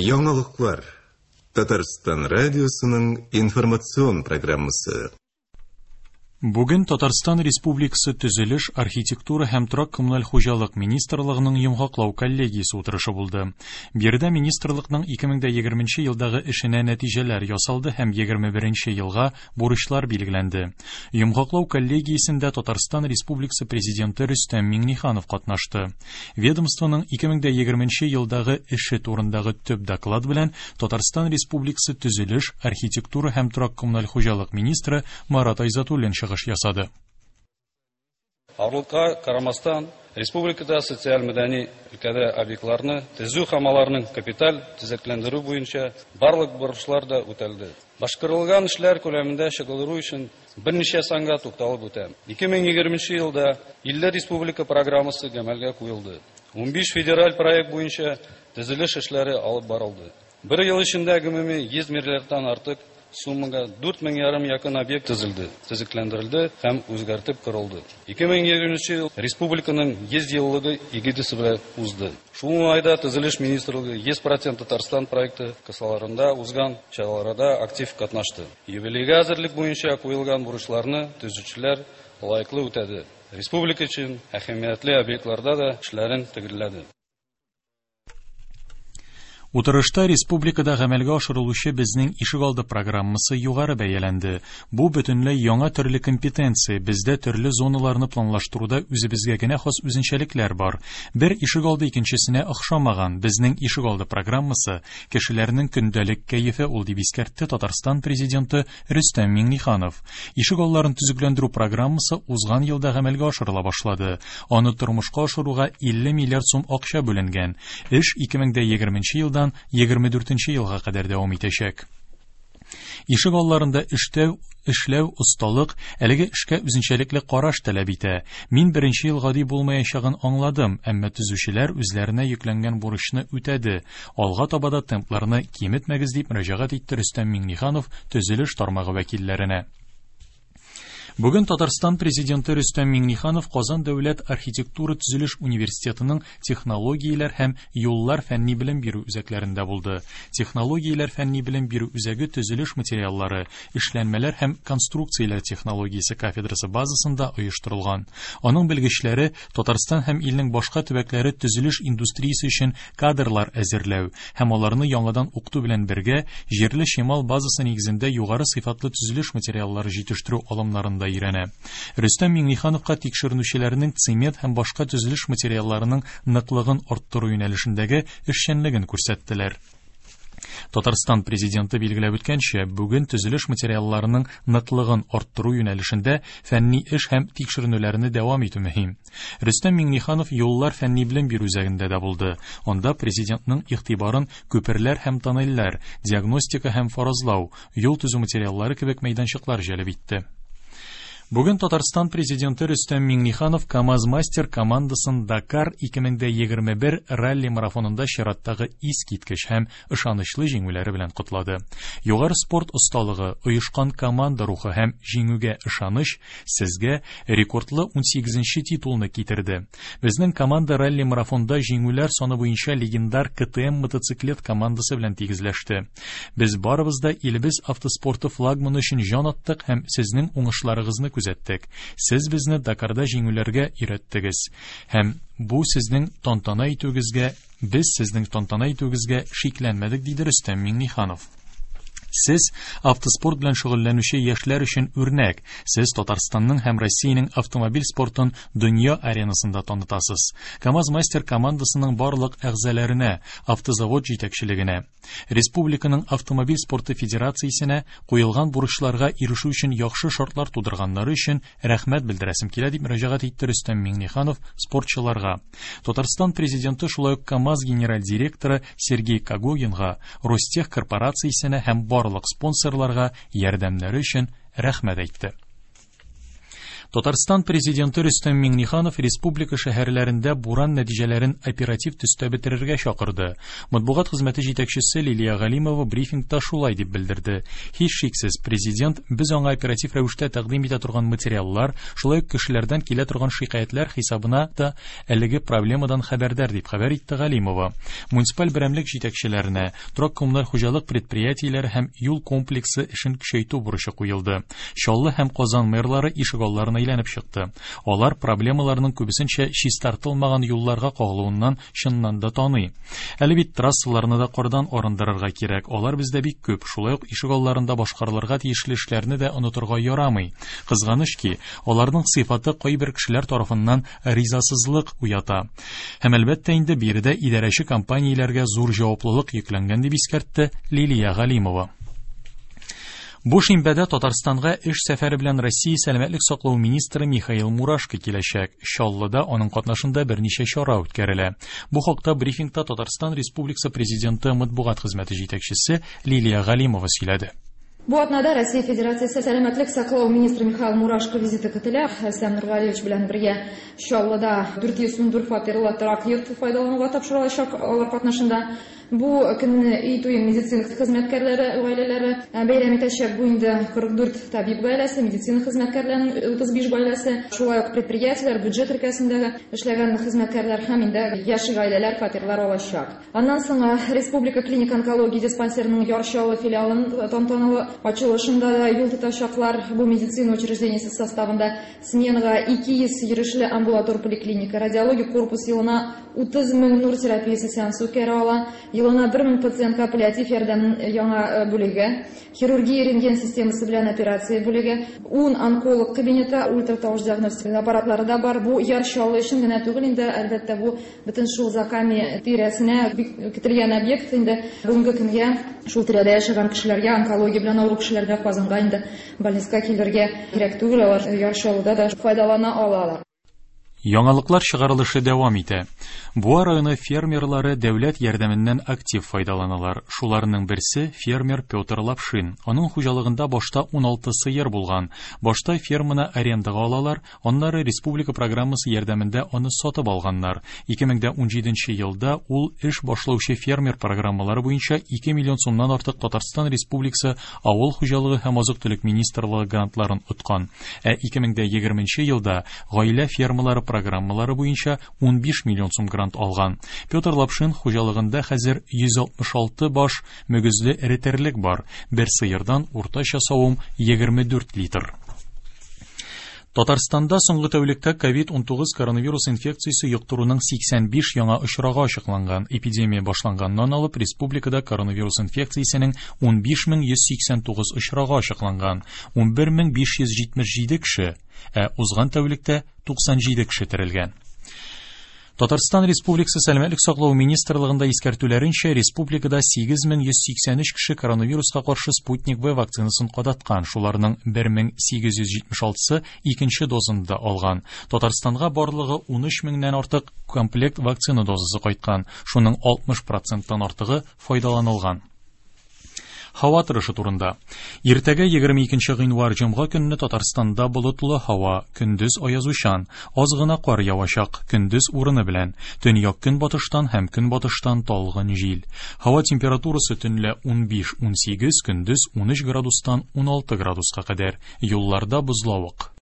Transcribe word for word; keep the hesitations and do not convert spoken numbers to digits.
Яңалыклар. Татарстан радиосының информацион программасы. Бүген Татарстан Республикасы Төзелеш, архитектура һәм торак-коммуналь хуҗалык министрлыгының йомгаклау коллегиясе утырышы булды. Биредә министрлыкның ике мең дә егерменче елдагы эшенә нәтиҗәләр ясалды һәм егерме беренче елга бурычлар билгеләнде. Йомгаклау коллегиясендә Татарстан Республикасы Президенты Рөстәм Миңнеханов катнашты. Ведомствоның ике мең дә егерменче елдагы эше турындагы төп доклад белән Татарстан Республикасы Төзелеш, архитектура һәм торак-коммуналь хуҗалык министры Марат Айзатуллин чыгыш ясады. Авырлыкка карамастан, республикада социаль мәдәни өлкәдә объектларны төзү һәм аларның капиталь төзекләндерү буенча барлык бурычлар да үтәлде. Башкарылган эшләр күләмендә чагылдыру өчен берничә санга тукталып үтәм. Ике мең егерменче елда илле республика программасы гамәлгә куелды. Унбиш федераль проект буенча төзелеш эшләре алып барылды. Бер ел эчендә гомуми йөз миллиардтан артык суммага дүрт мең ярым якын объект төзелде, төзекләндерелде һәм үзгәртеп корылды. Ике мең егерменче ел республиканың йөз еллыгы эгидасы белән узды. Шул уңайда Төзелеш министрлыгы йөз процент Татарстан проекты кысаларында узган чараларда актив катнашты. Юбилейга әзерлек буенча куелган бурычларны төзүчеләр лаеклы үтәде. Республика өчен әһәмиятле объектларда да эшләрен төгәлләде. Утырышта республикада гамәлгә ашырылучы Безнең ишегалды программасы югары бәяләнде. Бу бөтенләй яңа төрле компетенция, бездә төрле зоналарны планлаштыруда үзебезгә генә хас үзенчәлекләр бар. Бер ишегалды икенчесенә охшамаган. Безнең ишегалды программасы кешеләрнең көндәлек кәефе ул, дип искәртте Татарстан президенты Рөстәм Миңнеханов. Ишегалларын төзекләндерү программасы узган елда гамәлгә ашырыла башлады. Аны тормышка ашыруга илле миллиард сум акча бүленгән. Эш ике мең дә егерменче елдан егерме дүртенче елга кадәр дәвам итәчәк. Ишек алларында эштәү, эшләү, осталык, әлеге эшкә үзенчәлекле караш таләп итә. Мин беренче ел гади булмаячагын аңладым, әмма төзүчеләр үзләренә йөкләнгән бурычны үтәде. Алга таба да темпларны киметмәгез, дип мөрәҗәгать итте Рөстәм Миңнеханов төзелеш тармагы вәкилләренә. Бүген Татарстан президенты Рөстәм Миңнеханов Казан дәүләт архитектура төзелеш университетының технологияләр һәм юллар фәнни белем бирү үзәкләрендә булды. Технологияләр фәнни белем бирү үзәге төзелеш материаллары, эшләнмәләр һәм конструкцияләр технологиясе кафедрасы базасында оештырылган. Аның белгечләре Татарстан һәм илнең башка төбәкләре төзелеш индустриясе өчен кадрлар әзерләү һәм аларны яңадан укыту белән бергә җирле чимал базасы нигезендә югары сыйфатлы төзелеш материаллары җитештерү алымнарында өйрәнә. Рөстәм Миңнехановка тикшеренүчеләрнең цемент һәм башка төзелеш материалларының ныклыгын арттыру юнәлешендәге эшчәнлеген күрсәттеләр. Татарстан президенты билгеләп үткәнчә, бүген төзелеш материалларының ныклыгын арттыру юнәлешендә фәнни эш һәм тикшеренүләрне дәвам итү мөһим. Рөстәм Миңнеханов юллар фәнни белем бирү үзәгендә дә булды. Анда президентның игътибарын күперләр һәм тоннельләр, диагностика һәм фаразлау, юл төзү материаллары кебек мәйданчыклар җәлеп итте. Бүген Татарстан президенты Рөстәм Миңнеханов КАМАЗ-мастер командасын Дакар ике мең дә егерме бер ралли марафонында чираттагы искиткеч һәм ышанычлы җиңүләре белән котлады. Югары спорт осталыгы, оешкан команда рухы һәм җиңүгә ышаныч сезгә рекордлы унсигезенче титулны китерде. Безнең команда ралли марафонда җиңүләр саны буенча легендар К Т М мотоциклет командасы белән тигезләште. Без барыбыз да илебез автоспорты флагманы өчен җан аттык һәм сезнең уңышларыгызны күзәттек. Сез безне Дакарда җиңүләргә өйрәттегез. Һәм бу сезнең тантана итүегезгә, без сезнең тантана итүегезгә шикләнмәдек, диде Рөстәм Миңнеханов. Сез автоспорт белән шөгыльләнүче яшьләр өчен үрнәк. Сез Татарстанның һәм Россиянең автомобиль спортын дөнья аренасында танытасыз. КАМАЗ-мастер командасының барлык әгъзаларына, автозавод җитәкчелегенә, республиканың автомобиль спорты федерациясенә куелган бурычларга ирешү өчен яхшы шартлар тудырганнары өчен рәхмәт белдерәсем килә, дип мөрәҗәгать итте Рөстәм Миңнеханов спортчыларга. Татарстан президенты шулай ук КАМАЗ генераль директоры Сергей Когогинга, Ростех корпорациясенә һәм барлык спонсорларга ярдәмнәре өчен рәхмәт әйтте. Татарстан президенты Рөстәм Миңнеханов республика шәһәрләрендә буран нәтиҗәләрен оператив төстә бетерергә чакырды. Матбугат хезмәте җитәкчесе Лилия Галимова брифингта шулай дип белдерде. Һичшиксез, президент без аңа оператив рәвештә тәкъдим итә торган материаллар, шулай ук кешеләрдән килә торган шикаятьләр хисабына да әлеге проблемадан хәбәрдар дип хәбәр итте Галимова. Муниципаль берәмлек җитәкчеләренә торак-коммуналь хуҗалык предприятиеләре һәм юл комплексы эшен көчәйтү бурычы куелды. Чаллы һәм Казан мэрлары ишегалларына әйләнеп чыкты. Алар проблемаларның күбесенчә чистартылмаган юлларга кагылуыннан чыннан да таный. Әле бит трассаларны да кардан арындырырга кирәк. Алар бездә бик күп. Шулай ук ишегалларында башкарылырга тиешле эшләрне дә онытырга ярамый. Кызганыч ки, аларның сыйфаты кайбер кешеләр тарафыннан ризасызлык уята. Һәм әлбәттә инде биредә идарәче компанияләргә зур җаваплылык йөкләнгән дип искәртте Лилия Галимова. Бу шимбәдә Татарстанга эш сәфәре белән Россия сәламәтлек саклау министры Михаил Мурашко киләчәк. Чаллыда аның катнашында берничә чара үткәрелә. Бу хакта брифингта Татарстан Республикасы президенты матбугат хезмәте җитәкчесе Лилия Галимова сөйләде. Бу атнада Россия Федерациясе сәламәтлек саклау министры Михаил Мурашко визиты көтелә. Рөстәм Нургалиевич белән бергә Чаллыда дүрт йөз ун дүрт фатирлы торак йорт файдалануга тапшырылачак алар катнашында. Бу көнне өй туе медицина хезмәткәрләре гаиләләре бәйрәм итәчәк. Бу инде кырык дүрт табиб гаиләсе, медицина хезмәткәрләренең утыз биш гаиләсе, шулай ук предприятиеләр, бюджет өлкәсендәге эшләгән хезмәткәрләр һәм инде яшь гаиләләр фатирлар алачак. Аннан соң Республика клиник онкология диспансерының Яр Чаллы филиалын тантаналы ачылышында да юл тотачаклар. Бу медицина учреждениесе составында сменага ике йөз йөрешле амбулатор поликлиника, радиологик корпус елына утыз мең нур терапиясе сеансы үткәрә ала. Елына бер мең пациентка паллиатив ярдәмнең яңа бүлеге, хирургия рентген системасы белән операция бүлеге, ун онколог кабинеты, ультратавыш диагностика аппаратлары да бар. Бу Яр Чаллы өчен генә түгел инде, әлбәттә, бу бөтен шул Заками тирәсенә бик көтелгән объект инде. Бүгенге көнгә шул тирәдә яшәгән кешеләргә, онкология белән авыру кешеләргә Казанга инде больницага килергә кирәк түгел, алар Яр Чаллыда да файдалана алалар. Яңалыклар чыгарылышы дәвам итә. Буа районы фермерлары дәүләт ярдәменнән актив файдаланалар. Шуларның берсе фермер Петр Лапшин. Аның хуҗалыгында башта ун алты сыер булган. Башта ферманы арендага алалар, аннары республика программасы ярдәмендә аны сатып алганнар. ике мең дә унҗиденче елда ул эш башлаучы фермер программалары буенча ике миллион сумнан артык Татарстан Республикасы Авыл хуҗалыгы һәм азык-төлек министрлыгы грантларын откан. Ә ике мең дә егерменче елда гаилә фермалары программалары буенча ун биш миллион сум грант алган. Петр Лапшин хуҗалыгында хәзер йөз алтмыш алты баш мөгезле эре терлек бар. Бер сыердан уртача савым егерме дүрт литр. Татарстанда соңгы тәүлектә ковид унтугыз коронавирус инфекциясе йоктыруның сиксән биш яңа очрагы ачыкланган. Эпидемия башланганнан алып республикада коронавирус инфекциясенең ун биш мең йөз сиксән тугыз очрагы ачыкланган. ун бер мең биш йөз җитмеш җиде кеше, ә узган тәүлектә туксан җиде кеше терелгән. Татарстан Республикасы Сәламәтлек саклау министрлыгында искәртүләренчә, республикада сигез мең йөз сиксән өч кеше коронавируска каршы Спутник В вакцинасын кадаткан. Шуларның бер мең сигез йөз җитмеш алтысы икенче дозын да алган. Татарстанга барлыгы ун өч меңнән артык комплект вакцина дозасы кайткан. Шуның алтмыш проценттан артыгы файдаланылган. Һава торышы турында. Иртәгә егерме икенче гыйнвар җомга көнне Татарстанда болытлы һава, көндез аязучан, аз гына кар явачак, көндез урыны белән, төньяк көнбатыштан һәм көнбатыштан талгын җил. Һава температурасы төнлә ун биш ун сигез, көндез ун өч градустан ун алты градуска кадәр. Юлларда бозлавык.